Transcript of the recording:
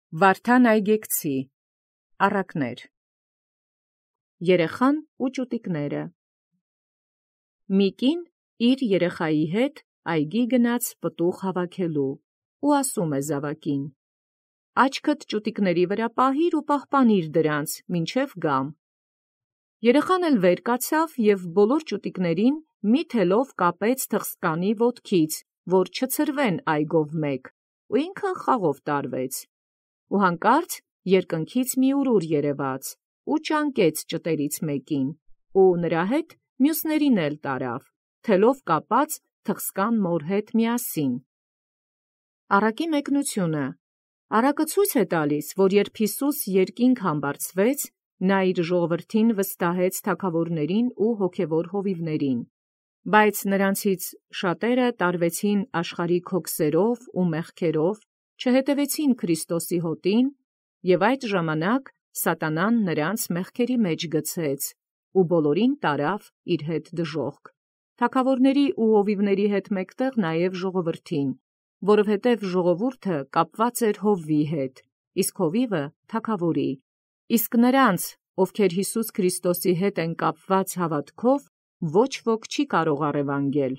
Վարդան այգեկցի առակներ։ Երեխան ու ճուտիկները։ Մի կին իր երեխայի հետ այգի գնաց պտուղ հավաքելու ու ասում է զավակին. «Աչքդ ճուտիկների վրա պահիր ու պահպանիր դրանց, մինչև գամ»։ Երեխան էլ վեր կացավ և բոլոր ճուտիկներին մի թելով կապեց թխսկանի ոտքից, որ չցրվեն այգով մեկ, ու ինքն խաղով տարվեց։ Ու հանկարծ երկնքից մի ուրուր երևաց ու ճանկեց ճտերից մեկին, ու նրա հետ մյուսներին էլ տարավ, թելով կապած թխսկան մոր հետ միասին։ Առակի մեկնությունը։ Առակը ցույց է տալիս, որ երբ Յիսուս երկինք համբարձվեց, նա իր ժողովրդին վստահեց թագավորներին ու հոգևոր հովիվներին, բայց նրանցից շատերը տարվեցին աշխարհիկ հոգսերով ու մեղքերով, չհետևեցին Քրիստոսի հոտին, և այդ ժամանակ սատանան նրանց մեղքերի մեջ գցեց ու բոլորին տարավ իր հետ դժոխք, թագավորների ու հովիվների հետ մեկտեղ նաև ժողովրդին, որովհետև ժողովուրդը կապված էր հովվի հետ, իսկ հովիվը թագավորի, իսկ նրանց, ովքեր Յիսուս Քրիստոսի հետ են կապված հավատքով, ոչ ոք չի կարող առևանգել,